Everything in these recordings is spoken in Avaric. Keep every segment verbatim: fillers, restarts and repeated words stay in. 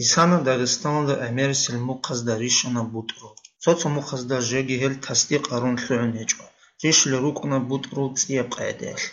Исана Дагъистаналда гӀемерисел мухъазда рищана бутӀрул. Цо-цо мухъазда жеги гьел тасдикъ гьарун лъугӀун гьечӀо. Рищулел рукӀуна бутӀрул цӀияб къагӀидаялъ.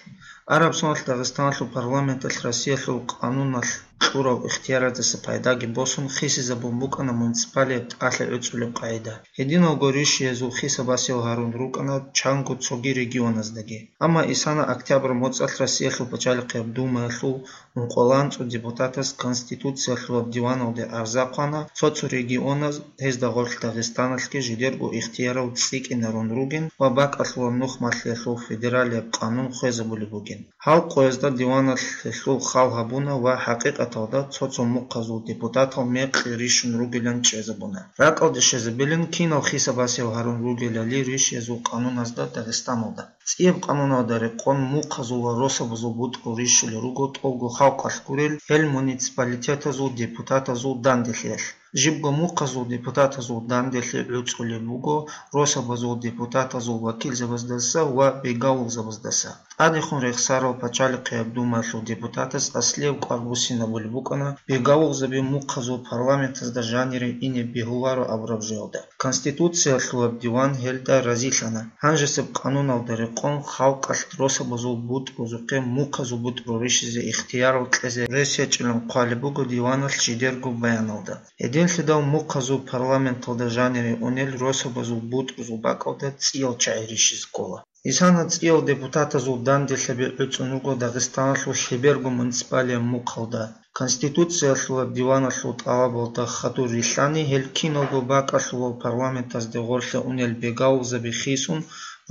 Араб соналъ Дагъистаналъул парламенталъ Россиялъул къануналъ кьурал ихтияраздаса пайдаги босун хисизабун букӀана муниципалияб тӀалъи гӀуцӀулеб къагӀида. Гьединалго рищиязул хиса-басиял гьарун рукӀана чанго цоги регионаздаги. Амма Исана октябрь моцӀалъ Россиялъул пачалихъияб Думаялъул ункъоялда анцӀго депутатас Конституциялъулаб диваналде арза хъвана, цо-цо регионаз, гьезда гъорлъ Дагъистаналъги, жидерго ихтиярал цӀикӀкӀинарун ругин ва бакӀалъулаб нухмалъиялъул федералияб къанун хвезабулеб бугин. Гьал къоязда диваналъ гьелъул хал гьабуна ва хӀакъикъаталда цо-цо мухъазул депутатал мекъи рищун ругилан чӀезабуна. РакӀалде щвезабилин кинал хиса-басиял гьарун ругелали рищиязул къануназда Дагъистаналда. ЦӀияб къануналда рекъон мухъазул ва росабазул бутӀрул рищулел руго тӀолго халкъалъ гурел гьел муниципалитетазул депутатазул данделъиялъ. Жибго мухъазул депутатазул данделъи гӀуцӀулеб буго росабазул депутатазул вакилзабаздаса ва бегавулзабаздаса. ТӀадехун рехсарал пачалихъияб Думаялъул депутатас аслияб кӀвар буссинабулеб букӀана бегавулзаби мухъазул парламентазда жанире ине бегьуларо абураб жоялда. Конституциялъулаб диван гьелда разилъана. Гьанжесеб къануналда рекъон халкъалъ росабазул бутӀрузухъе мухъазул бутӀру рищизе ихтиярал кьезе рес гьечӀилан хъвалеб буго диваналъ жидерго баяналда. Гьединлъидал мухъазул парламенталда жанире унел росабазул бутӀрузул бакӀалда цӀиял чагӀи рищизе ккола. Исана цӀиял депутатазул данделъаби гӀуцӀун руго Дагъистаналъул лъеберго муниципалияб мухъалда. Конституциялъулаб диваналъул тӀалабалда хадур рилълъани, гьел киналго бакӀалъулал парламентазде гъорлъе унел бегавулзаби хисун,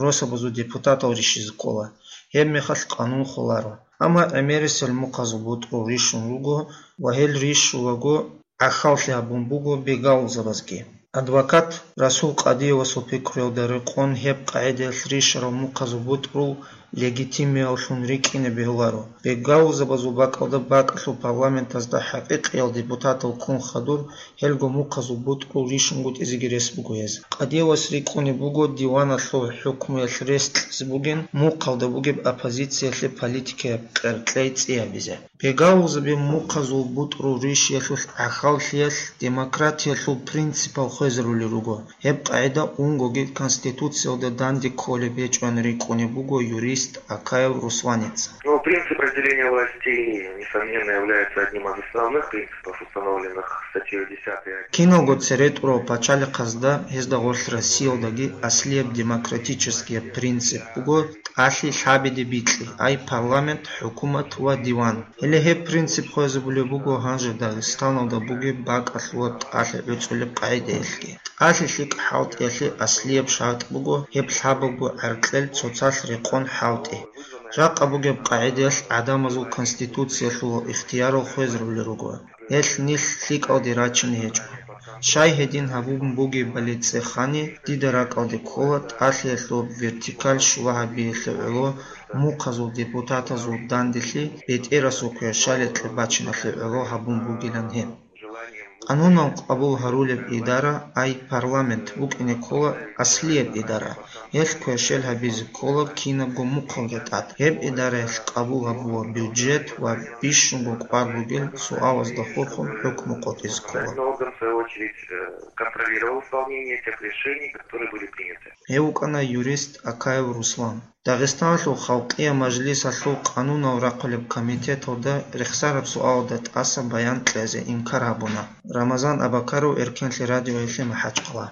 росабазул депутатал рищизе ккола. Гьебмехалъ къанун холаро. Амма гӀемерисел мухъазул бутӀрул рищун руго ва гьел рищулаго гӀахьаллъи гьабун буго бегавулзабазги. Адвокат Расул Къадиевасул пикруялда рекъон гьеб къагӀидаялъ рищарал мухъазул бутӀрул легитимиявлъун рикӀкӀине бегьуларо. Бегавулзабазул бакӀалда бакӀалъул парламентазда хӀакъикъиял депутатал ккун хадур, гьелго мухъазул бутӀрул рищунгутӀизеги рес буго гьез. Къадиевас рикӀкӀунеб буго диваналъул хӀукмуялъ рес кьезе бугин мухъалда бугеб оппозициялъе политикаяб къеркьей цӀи гьабизе. Бегавулзаби мухъазул бутӀрул рищиялъулъ гӀахьаллъиялъ демократиялъул принципал хвезарулел руго. Гьеб къагӀида унгоги Конституциялда данде кколеб гьечӀоан рикӀкӀунеб буго юрист Акаев Русланица. Ну, принцип разделения властей, несомненно, является одним из основных принципов, установленных статьей десятой. Киналго цере тӀурав пачалихъазда, гьезда гъорлъ Россиялдаги аслияб демократическияб принцип буго тӀалъи лъабиде бикьи, ай парламент, хӀукумат ва диван. Гьеле гьеб принцип хвезабулеб буго гьанже Дагъистаналда бугеб бакӀалъулаб тӀалъи гӀуцӀулеб къагӀидаялъги. ТӀалъи лъикӀ хӀалтӀиялъе аслияб шартӀ буго гьеб лъабабго гӀаркьел цоцалъ рекъон хӀалтӀи. Жакъа бугеб къагӀидаялъ гӀадамазул конституциялъулал ихтиярал хвезарулел руго. Гьелъ нилъ лъикӀалде рачине гьечӀо. Щай гьедин гьабун бугебали цӀехани, дида ракӀалде ккола тӀалъиялъул вертикаль щула гьабиялъе гӀоло мухъазул депутатазул данделъи бетӀерасул квешаликье бачиналъе гӀоло гьабун бугилан гьеб. Къанунал къабул гьарулеб идара, ай парламент, букӀине ккола аслияб идара. Гьелъ квешел гьабизе ккола кинабго мухъалда тӀад. Гьеб идараялъ къабул гьабула бюджет ва бищунго кӀвар бугел суалазда хурхун хӀукму къотӀизе ккола. Контрольный орган, в свою очередь, э, контролировал исполнение тех решений, которые были приняты. Гьев вукӀана юрист Акаев Руслан. Дагъистаналъул Халкъиял Мажлисалъул къанунал рахъулеб комитеталда рехсараб суалда тӀаса баян кьезе инкар гьабуна. Рамазан Абакаров, Эркенлъи радиоялъе МахӀачхъала.